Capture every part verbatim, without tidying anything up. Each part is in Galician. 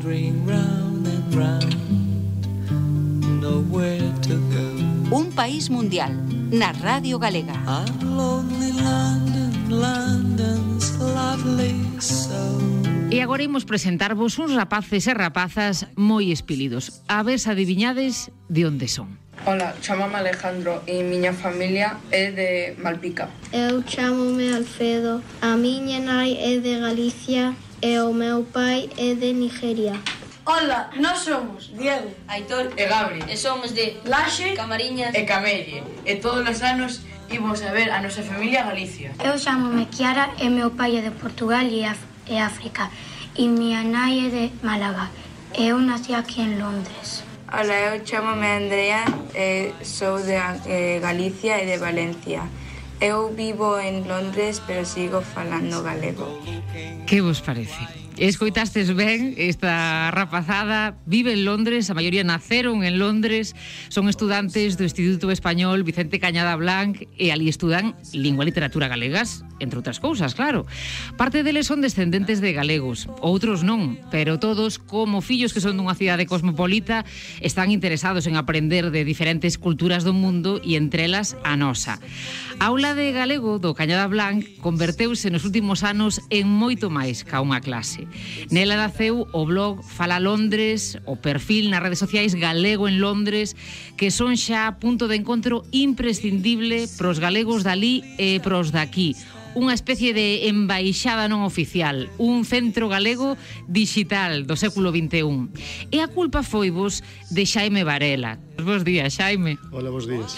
wandering round and round, nowhere to go. Un país mundial, na Radio Galega. I'm lonely London, London's lovely soul. E agora imos presentarvos uns rapaces e rapazas moi espelidos. A ver se adiviñades de onde son. Ola, chamame Alejandro e miña familia é de Malpica. Eu chamome Alfredo, a miña nai é de Galicia e o meu pai é de Nigeria. Ola, nós somos Diego, Aitor e Gabri, e somos de Laxe Camariñas e Camelle, e todos os anos imos a ver a nosa familia a Galicia. Eu chamome Kiara e meu pai é de Portugal e, Af e África e miña nai é de Málaga e eu nací aquí en Londres. Ola, eu chamome Andrea e sou de eh, Galicia e de Valencia. Eu vivo en Londres, pero sigo falando galego. Que vos parece? Escoitastes ben, esta rapazada vive en Londres, a maioría naceron en Londres, son estudantes do Instituto Español Vicente Cañada Blanc e ali estudan lingua e literatura galegas, entre outras cousas, claro. Parte deles son descendentes de galegos, outros non, pero todos, como fillos que son dunha cidade cosmopolita, están interesados en aprender de diferentes culturas do mundo e entre elas a nosa. A aula de galego do Cañada Blanc converteuse nos últimos anos en moito máis ca unha clase. Nela naceu o blog Fala Londres, o perfil nas redes sociais Galego en Londres, que son xa punto de encontro imprescindible pros galegos dali e pros daqui. Unha especie de embaixada non oficial, un centro galego digital do século vinte e un. E a culpa foi vos de Xaime Varela. Bos días, Xaime. Hola, bos días.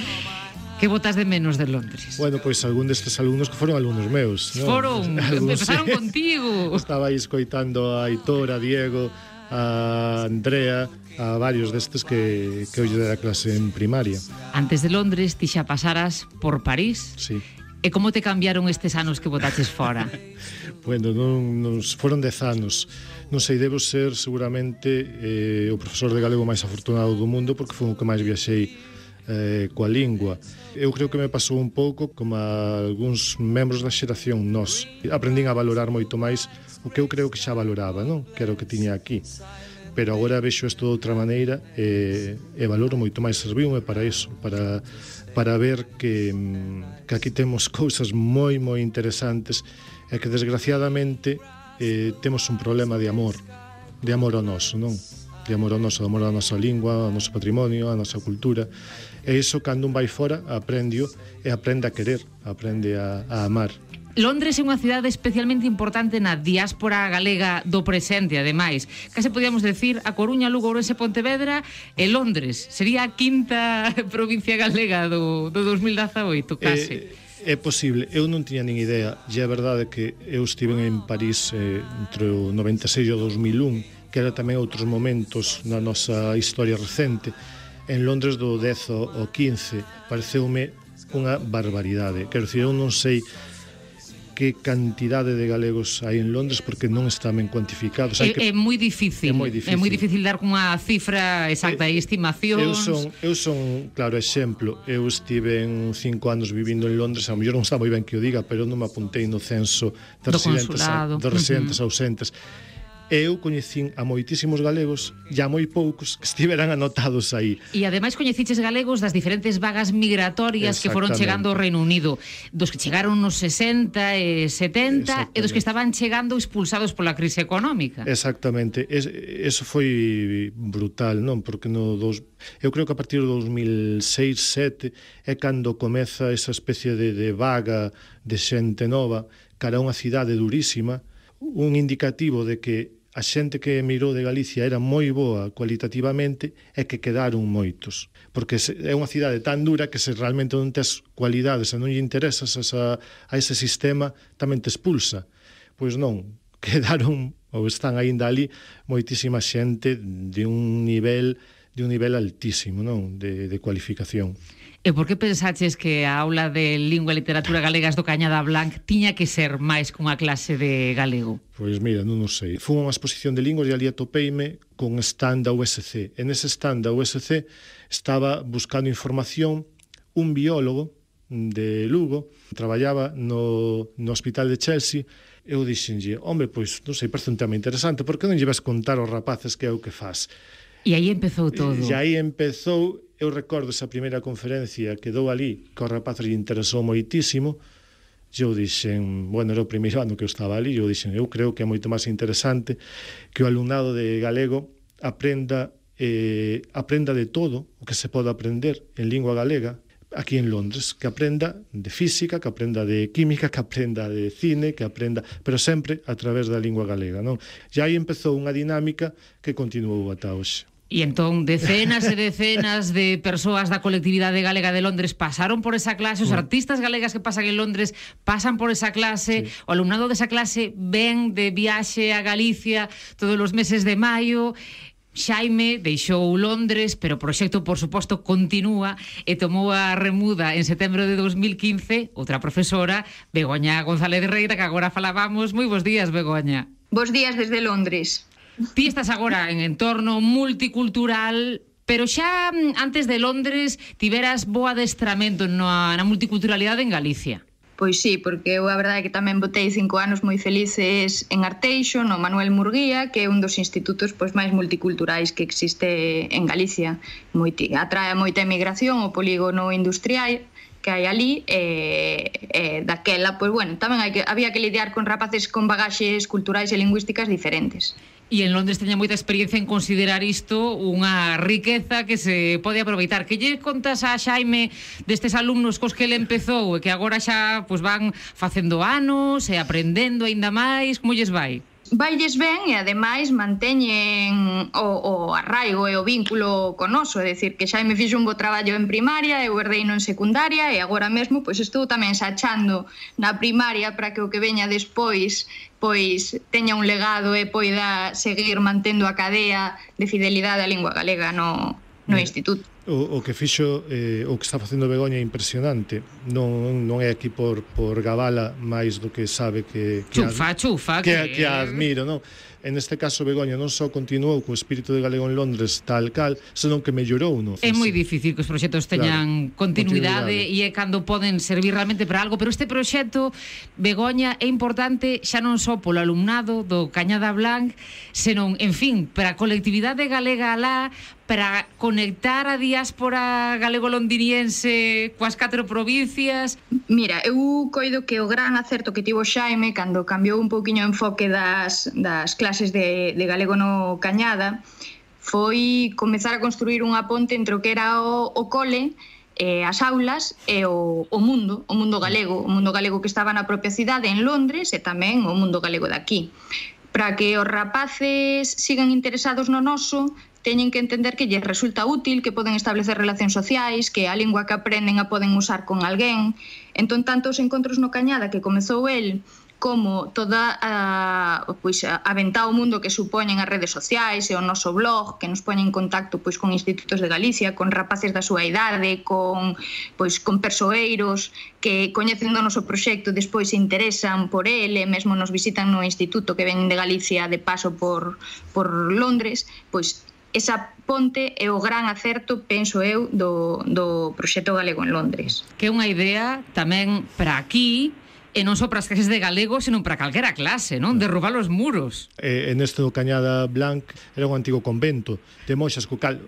Que botas de menos de Londres? Bueno, pois pues, algún destes alumnos que foron alumnos meus, ¿no? Foron, empezaron sí. Contigo. Estaba aí escoitando a Aitor, a Diego, a Andrea, a varios destes que, que eu lle dera clase en primaria. Antes de Londres, ti xa pasaras por París. Sí. E como te cambiaron estes anos que botaches fora? Bueno, non, non, foron dez anos. Non sei, debo ser seguramente eh, o profesor de galego máis afortunado do mundo porque foi o que máis viaxei eh, coa lingua. Eu creo que me pasou un pouco como a algúns membros da xeración nós. Aprendín a valorar moito máis o que eu creo que xa valoraba, non? Que era o que tiña aquí. Pero agora vexo isto de outra maneira e, e valoro moito máis. Serviume para iso, para, para ver que, que aquí temos cousas moi, moi interesantes e que desgraciadamente eh, temos un problema de amor, de amor ao noso, non? De amor ao noso, de amor á nosa lingua, ao noso patrimonio, á nosa cultura. E iso, cando un vai fora, aprende-o e aprende a querer, aprende a, a amar. Londres é unha cidade especialmente importante na diáspora galega do presente, ademais. Case podíamos decir a Coruña, Lugo, Ourense, Pontevedra e Londres. Sería a quinta provincia galega do, do dos mil dezaoito, case. É, é posible. Eu non tiña nin idea. E é verdade que eu estive en París eh, entre o noventa e seis e o dos mil un, que era tamén outros momentos na nosa historia recente. En Londres do dez ao quince pareceume unha barbaridade. Quero dicir, eu non sei que cantidade de galegos hai en Londres porque non están ben cuantificados. É, que... é moi difícil. É moi difícil. É moi difícil dar cunha cifra exacta e estimacións. Eu son, eu son, claro, exemplo. Eu estive en cinco anos vivindo en Londres, a mellor non está moi ben que o diga, pero non me apuntei no censo de residentes, a, de residentes uh-huh. ausentes. E eu coñecín a moitísimos galegos e a moi poucos que estiveran anotados aí. E ademais coñeciches galegos das diferentes vagas migratorias que foron chegando ao Reino Unido, dos que chegaron nos sesenta e setenta e dos que estaban chegando expulsados pola crise económica. Exactamente. Es, eso foi brutal, non? Porque no dos, eu creo que a partir do dos mil seis, sete é cando comeza esa especie de, de vaga de xente nova cara a unha cidade durísima, un indicativo de que a xente que emigrou de Galicia era moi boa cualitativamente e que quedaron moitos. Porque é unha cidade tan dura que se realmente non tes cualidades e non lle interesas a, a ese sistema, tamén te expulsa. Pois non, quedaron, ou están aínda ali, moitísima xente de un nivel de un nivel altísimo, non? De, de cualificación. E por que pensaches que a aula de lingua e literatura galegas do Cañada Blanc tiña que ser máis cunha clase de galego? Pois mira, non o sei. Fui unha exposición de linguas e ali atopeime con stand da U S C. En ese stand da U S C estaba buscando información un biólogo de Lugo, traballaba no, no hospital de Chelsea eu dixenlle, hombre, pois, non sei, parece un tema interesante, por que non lle vas contar aos rapaces que é o que faz? E aí empezou todo. E aí empezou, eu recordo esa primeira conferencia que dou ali, que aos rapaces lle interesou moitísimo, e eu dixen, bueno, era o primeiro ano que eu estaba ali, e eu dixen, eu creo que é moito máis interesante que o alumnado de galego aprenda, eh, aprenda de todo o que se pode aprender en lingua galega, aquí en Londres, que aprenda de física, que aprenda de química, que aprenda de cine, que aprenda, pero sempre a través da lingua galega, non? E aí empezou unha dinámica que continuou ata hoxe. E entón, decenas e decenas de persoas da colectividade galega de Londres pasaron por esa clase, os artistas galegas que pasan en Londres pasan por esa clase, sí. O alumnado desa clase ven de viaxe a Galicia todos os meses de maio. Xaime deixou Londres, pero o proxecto, por suposto, continúa e tomou a remuda en setembro de dos mil quince outra profesora, Begoña González Reira, que agora falábamos. Moi bons días, Begoña. Bos días desde Londres. Ti estás agora en entorno multicultural, pero xa antes de Londres tiveras bo adestramento na, na multiculturalidade en Galicia. Pois sí, porque eu a verdade é que tamén botei cinco anos moi felices en Arteixo, no Manuel Murguía, que é un dos institutos pois máis multiculturais que existe en Galicia. Moiti, atrae moita emigración, o polígono industrial que hai ali, e, e daquela, pois bueno, tamén hai que, había que lidiar con rapaces con bagaxes culturais e lingüísticas diferentes. E en Londres teña moita experiencia en considerar isto unha riqueza que se pode aproveitar. Que lle contas a Xaime destes alumnos cos que ele empezou e que agora xa pues, van facendo anos e aprendendo aínda máis? Como lles vai? Vailles ben e ademais manteñen o, o arraigo e o vínculo con noso, é dicir, que Xaime fixo un bo traballo en primaria, eu herdeino en secundaria e agora mesmo pois estou tamén sachando na primaria para que o que veña despois pois teña un legado e poida seguir mantendo a cadea de fidelidade á lingua galega no, no instituto. O, o que fixo, eh, o que está facendo Begoña é impresionante. Non, non é aquí por, por gabala máis do que sabe que... que chufa, ad, chufa. Que, que... que admiro, non? En este caso, Begoña non só continuou co espírito de galego en Londres tal cal, senón que mellorou, non? É moi difícil que os proxectos teñan claro, continuidade, continuidade e é cando poden servir realmente para algo, pero este proxecto, Begoña, é importante xa non só polo alumnado do Cañada Blanc, senón, en fin, para a colectividade galega alá, para conectar a diáspora galego-londiniense coas catro provincias. Mira, eu coido que o gran acerto que tivo Xaime cando cambiou un pouquiño o enfoque das, das clases de, de galego no Cañada foi comezar a construir unha ponte entre o que era o, o cole, eh, as aulas e o, o mundo, o mundo galego, o mundo galego que estaba na propia cidade en Londres e tamén o mundo galego de aquí. Para que os rapaces sigan interesados no noso, teñen que entender que lles resulta útil, que poden establecer relacións sociais, que a lingua que aprenden a poden usar con alguén. Entón, tanto os encontros no Cañada que comezou el, como toda a, pois, a ventá ao mundo que supoñen as redes sociais e o noso blog, que nos poñen en contacto pois, con institutos de Galicia, con rapaces da súa idade, con, pois, con persoeiros que coñecen do noso proxecto, despois se interesan por ele, mesmo nos visitan no instituto que ven de Galicia de paso por, por Londres, pois esa ponte é o gran acerto, penso eu, do, do proxecto galego en Londres. Que é unha idea tamén para aquí, e non só para as clases de galego, senón para calquera clase, non? Derrubar os muros. Eh, en este do Cañada Blanc era un antigo convento de moxas, co cal,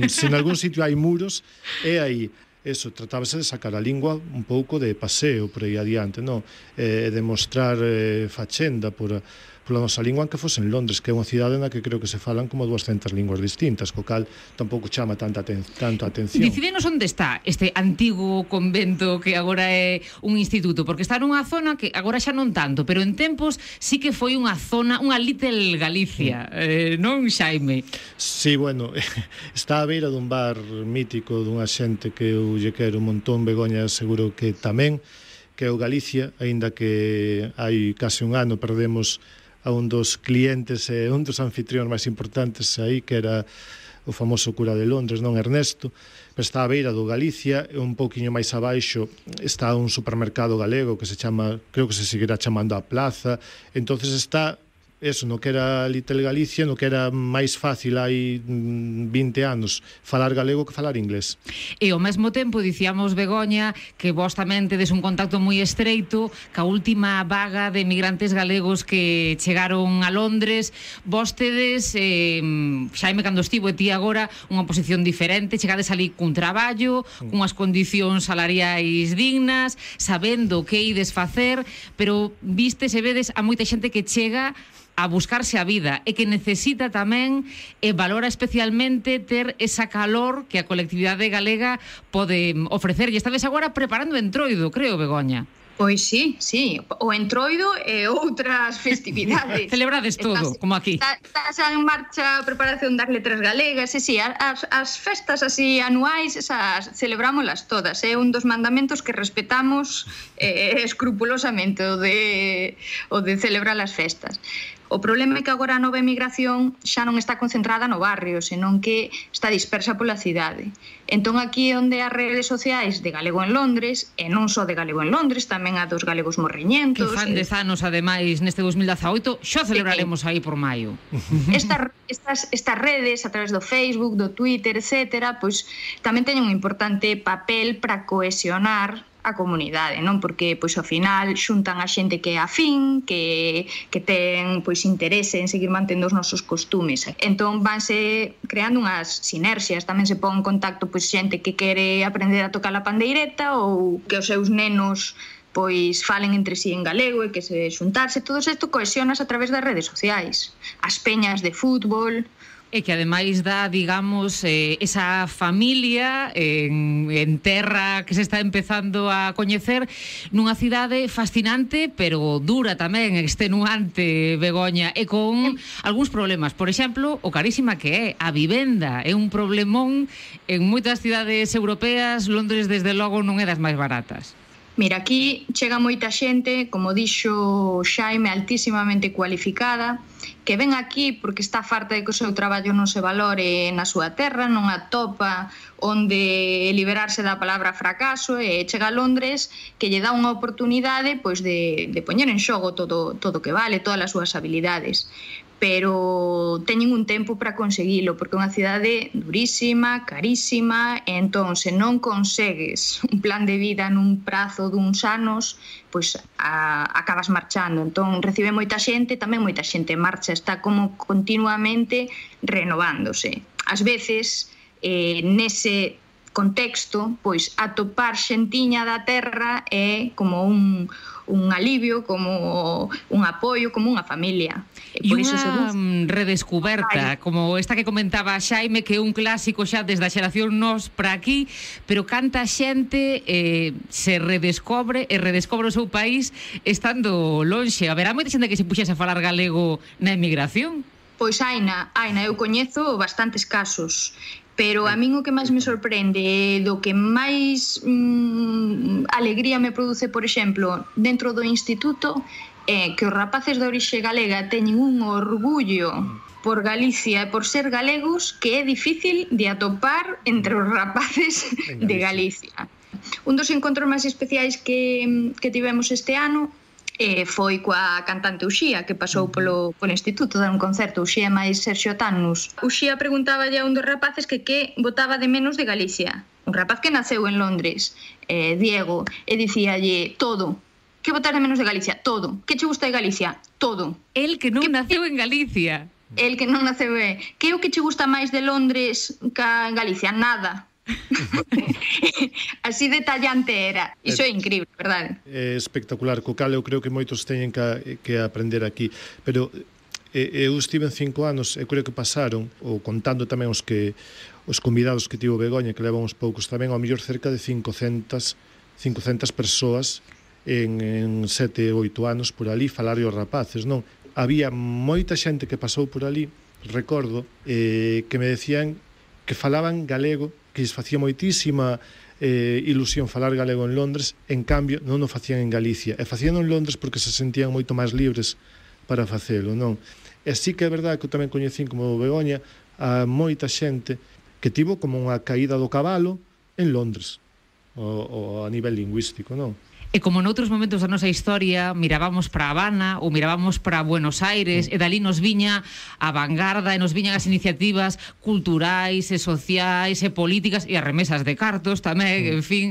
se en algún sitio hai muros, é aí. Eso, tratábase de sacar a lingua un pouco de paseo por aí adiante, non? Eh, de mostrar eh, fachenda por... pola nosa lingua, que fose en Londres, que é unha cidade na que creo que se falan como duascentas linguas distintas, co cal tampouco chama tanta aten tanto atención. Dicídenos onde está este antigo convento que agora é un instituto, porque está nunha zona que agora xa non tanto, pero en tempos sí que foi unha zona, unha Little Galicia, eh, non, Xaime? Sí, bueno, está a beira dun bar mítico dunha xente que eu lle quero un montón, Begoña, seguro que tamén, que é o Galicia, aínda que hai case un ano perdemos a un dos clientes e un dos anfitrións máis importantes aí, que era o famoso cura de Londres, non, Ernesto, pero está a beira do Galicia, e un pouquiño máis abaixo está un supermercado galego que se chama, creo que se seguirá chamando a Plaza, entonces está eso, no que era Little Galicia, no que era máis fácil hai vinte anos falar galego que falar inglés. E ao mesmo tempo dicíamos, Begoña, que vos tamén tedes un contacto moi estreito ca última vaga de migrantes galegos que chegaron a Londres. Vos tedes, eh, Xaime cando estivo e ti agora, unha posición diferente, chegades ali cun traballo, cunhas condicións salariais dignas, sabendo que ides facer, pero vistes e vedes a moita xente que chega a buscarse a vida e que necesita tamén e valora especialmente ter esa calor que a colectividade galega pode ofrecer. E esta vez agora preparando Entroido, creo, Begoña. Pois sí, sí, o Entroido e outras festividades. Celebrades todo, estás, como aquí. Estás en marcha a preparación das letras galegas, e sí, as, as festas así anuais, esas celebrámolas todas, é eh? un dos mandamentos que respetamos eh, escrupulosamente, o de, o de celebrar as festas. O problema é que agora a nova emigración xa non está concentrada no barrio, senón que está dispersa pola cidade. Entón aquí é onde as redes sociais de Galego en Londres, e non só de Galego en Londres, tamén a dos galegos morriñentos. Que fan dez anos, ademais, neste dos mil dezaoito, xa celebraremos aí por maio. Estas, estas, estas redes, a través do Facebook, do Twitter, etcétera, pois tamén teñen un importante papel para cohesionar a comunidade, non? Porque pois ao final xuntan a xente que é afín, que que ten pois interese en seguir mantendo os nosos costumes. Entón vanse creando unhas sinerxias, tamén se pon en contacto pois xente que quere aprender a tocar a pandeireta ou que os seus nenos pois falen entre sí en galego e que se xuntarse, todo isto cohesionas a través das redes sociais. As peñas de fútbol, e que ademais dá, digamos, eh, esa familia en, en terra que se está empezando a coñecer nunha cidade fascinante, pero dura tamén, extenuante, Begoña, e con algúns problemas. Por exemplo, o carísima que é a vivenda. É un problemón en moitas cidades europeas. Londres, desde logo, non é das máis baratas. Mira, aquí chega moita xente, como dixo Xaime, altísimamente cualificada, que ven aquí porque está farta de que o seu traballo non se valore na súa terra, non atopa onde liberarse da palabra fracaso, e chega a Londres que lle dá unha oportunidade pois de, de poñer en xogo todo todo que vale, todas as súas habilidades. Pero teñen un tempo para conseguilo, porque é unha cidade durísima, carísima, e entón, se non consegues un plan de vida nun prazo duns anos, pois a, acabas marchando. Entón, recibe moita xente, tamén moita xente marcha, está como continuamente renovándose. Ás veces, eh, nese contexto, pois atopar xentiña da terra é como un, un alivio, como un apoio, como unha familia. E unha redescuberta, como esta que comentaba Xaime, que é un clásico xa desde a xeración nos para aquí, pero canta xente eh, se redescobre e redescobre o seu país estando lonxe. Haberá moita xente que se puxese a falar galego na emigración? Pois aina, aina, eu coñezo bastantes casos. Pero a min o que máis me sorprende, do que máis mm, alegría me produce, por exemplo, dentro do instituto, é que os rapaces de orixe galega teñen un orgullo por Galicia e por ser galegos que é difícil de atopar entre os rapaces de Galicia. Un dos encontros máis especiais que, que tivemos este ano Eh, foi coa cantante Uxía, que pasou polo, polo instituto dar un concerto. Uxía máis Serxio Tannus. Uxía preguntaba a un dos rapaces que que botaba de menos de Galicia. Un rapaz que naceu en Londres, eh, Diego, e dicíalle todo. Que botar de menos de Galicia? Todo. Que che gusta de Galicia? Todo. El que non que, naceu en Galicia. El que non naceu é. Que é o que che gusta máis de Londres ca en Galicia? Nada. Así detallante era. Iso é increíble, verdade? É espectacular, co cal eu creo que moitos teñen que, que aprender aquí. Pero eu estive en cinco anos, eu creo que pasaron, ou contando tamén os que os convidados que tivo Begoña, que levan uns poucos tamén, ao mellor cerca de cincocentas persoas en, en sete, oito anos por ali falar os rapaces, non? Había moita xente que pasou por ali, recordo, eh, que me decían que falaban galego, que lles facía moitísima eh, ilusión falar galego en Londres, en cambio non o facían en Galicia, e facían en Londres porque se sentían moito máis libres para facelo, non? E sí que é verdade que eu tamén coñecín como Begoña a moita xente que tivo como unha caída do cabalo en Londres, o, o a nivel lingüístico, non? E como noutros momentos da nosa historia mirábamos para Habana ou mirábamos para Buenos Aires, mm. e dali nos viña a vanguarda e nos viñan as iniciativas culturais e sociais e políticas e as remesas de cartos tamén, mm. en fin.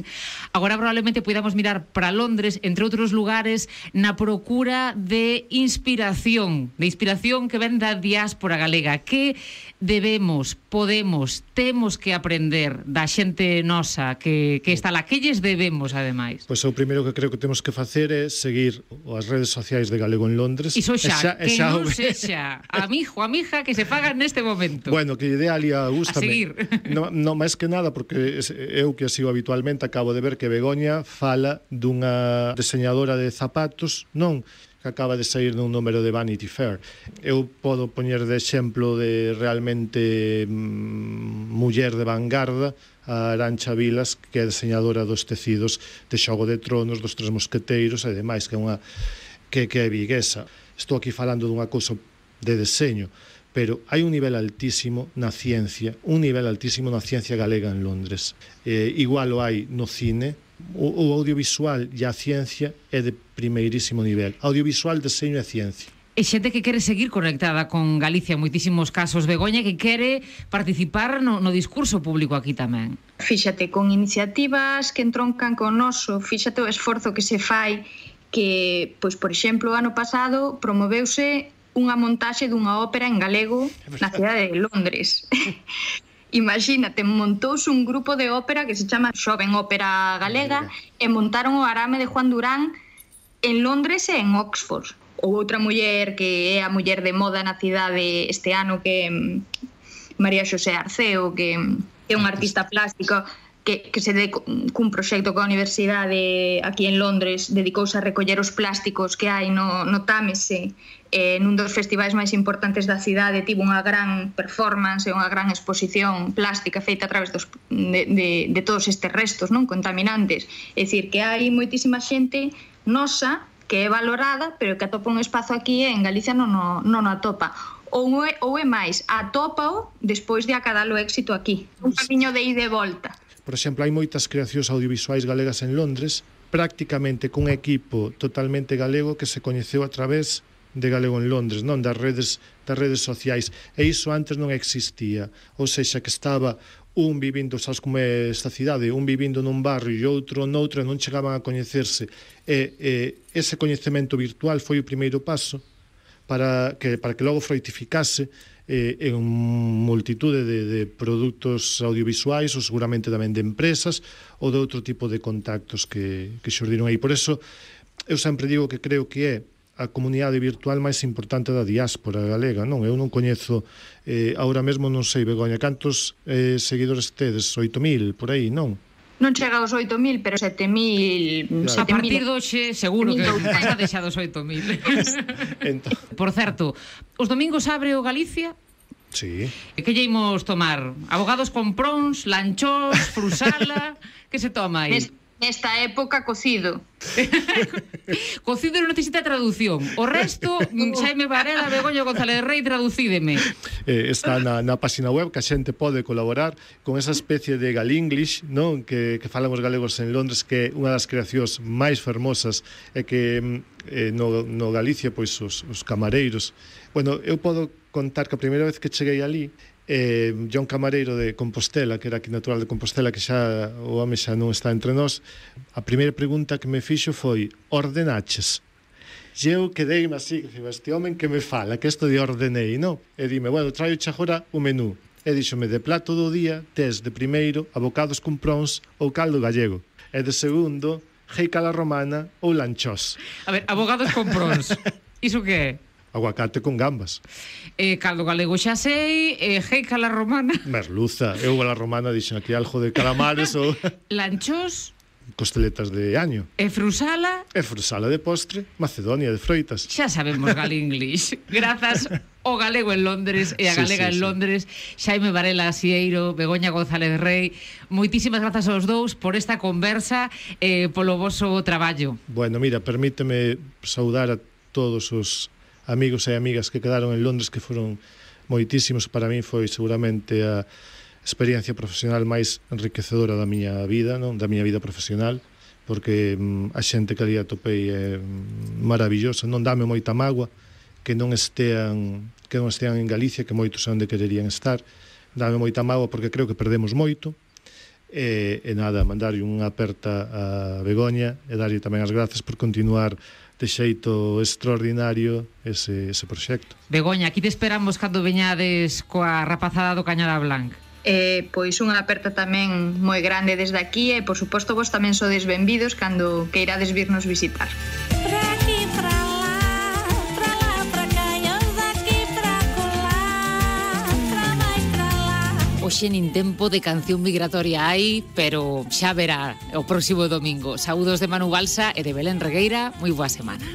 Agora probablemente podamos mirar para Londres, entre outros lugares, na procura de inspiración, de inspiración que ven da diáspora galega. Que debemos, podemos, temos que aprender da xente nosa que, que está lá? Que lles debemos, ademais? Pois o primeiro que creo que temos que facer é seguir as redes sociais de Galego en Londres. Iso xa, xa que xa non sexa amigo, amiga, que se faga neste momento. Bueno, que lle dé ali a gusta. A seguir. No, no máis que nada, porque eu que sigo habitualmente acabo de ver que Begoña fala dunha diseñadora de zapatos, non? Que acaba de sair nun número de Vanity Fair. Eu podo poñer de exemplo de realmente mm, muller de vanguarda a Arantxa Vilas, que é diseñadora dos tecidos de Xogo de Tronos, dos Tres Mosqueteiros e demais, que é unha que, que é viguesa. Estou aquí falando dunha cousa de deseño, pero hai un nivel altísimo na ciencia, un nivel altísimo na ciencia galega en Londres. Eh, igual o hai no cine, o, o audiovisual e a ciencia é de primeirísimo nivel. Audiovisual, deseño e ciencia. E xente que quere seguir conectada con Galicia en moitísimos casos, Begoña, que quere participar no, no discurso público aquí tamén. Fíxate, con iniciativas que entroncan con noso, fíxate o esforzo que se fai, que, pois, por exemplo, o ano pasado promoveuse unha montaxe dunha ópera en galego na cidade de Londres. Imagínate, montouse un grupo de ópera que se chama Xoven Ópera Galega e montaron o arame de Juan Durán en Londres e en Oxford. Ou outra muller que é a muller de moda na cidade este ano, que é María Xosé Arceo, que é un artista plástico que, que se de, cun proxecto coa universidade aquí en Londres, dedicouse a recoller os plásticos que hai no, no Támese, eh, nun dos festivais máis importantes da cidade. Tivo unha gran performance e unha gran exposición plástica feita a través dos, de, de, de todos estes restos non contaminantes. É dicir, que hai moitísima xente nosa que é valorada, pero que atopa un espazo aquí e en Galicia non o, non o atopa. Ou é, ou é máis, atópao despois de acadar o éxito aquí. Un camiño de ida e volta. Por exemplo, hai moitas creacións audiovisuais galegas en Londres, prácticamente cun equipo totalmente galego que se coñeceu a través de Galego en Londres, non das redes das redes sociais. E iso antes non existía. Ou sexa, que estaba un vivindo, sabes como é esta cidade, un vivindo nun barrio e outro noutro, e non chegaban a coñecerse. E, e ese coñecemento virtual foi o primeiro paso para que, para que logo fructificase eh, en multitude de, de produtos audiovisuais ou seguramente tamén de empresas ou de outro tipo de contactos que, que xurdiron aí. Por eso, eu sempre digo que creo que é a comunidade virtual máis importante da diáspora galega, non? Eu non coñezo, eh, ahora mesmo non sei, Begoña, cantos eh, seguidores tedes? oito mil, por aí, non? Non chega aos oito mil, pero sete mil... A partir do xe, seguro que está deixado os oito mil. Entón... Por certo, os domingos abre o Galicia? Sí. Que lle imos tomar? Abogados con prons, lanchós, frusala... Que se toma aí? Nesta época, cocido. Cocido non necesita traducción. O resto, Xaime Varela, Begoña González Rei, traducídeme. Eh, está na, na página web que a xente pode colaborar con esa especie de galinglish, non? Que, que falan os galegos en Londres, que é unha das creacións máis fermosas e que eh, no, no Galicia, pois, os, os camareiros. Bueno, eu podo contar que a primeira vez que cheguei ali, eh, John Camareiro de Compostela, que era aquí natural de Compostela, que xa o home xa non está entre nós, a primeira pregunta que me fixo foi: ordenaches? E eu quedeime así, que este home que me fala, que isto de ordenei, non? E dime, bueno, traio xa agora o menú. E díxome, de plato do día tes de primeiro abocados con prons ou caldo gallego, e de segundo jeica la romana ou lanchós. A ver, abogados con prons, iso que é? Aguacate con gambas. Eh, caldo galego xa sei, eh, jeica la romana. Merluza, eu a la romana dixen aquí algo de calamares ou... Lanchós. Costeletas de año. E frusala. E frusala de postre, Macedonia de froitas. Xa sabemos galinglish. Grazas ao galego en Londres e a galega sí, sí, en Londres, sí. Xaime Varela Sieiro, Begoña González Rei, moitísimas grazas aos dous por esta conversa e eh, polo voso traballo. Bueno, mira, permíteme saudar a todos os amigos e amigas que quedaron en Londres, que foron moitísimos. Para mí foi seguramente a experiencia profesional máis enriquecedora da miña vida, non? Da miña vida profesional. porque mm, a xente que ali atopei é maravillosa, non dame moita mágoa que non estean que non estean en Galicia, que moitos é onde quererían estar, dame moita mágoa porque creo que perdemos moito. E, e nada, mandarlle unha aperta a Begoña e darlle tamén as grazas por continuar de xeito extraordinario ese, ese proxecto. Begoña, aquí te esperamos cando veñades coa rapazada do Cañada Blanc. Eh, pois unha aperta tamén moi grande desde aquí e, por suposto, vos tamén sodes benvidos cando queirades virnos visitar. Hoxe nin tempo de canción migratoria hai, pero xa verá o próximo domingo. Saúdos de Manu Balsa e de Belén Regueira, moi boa semana.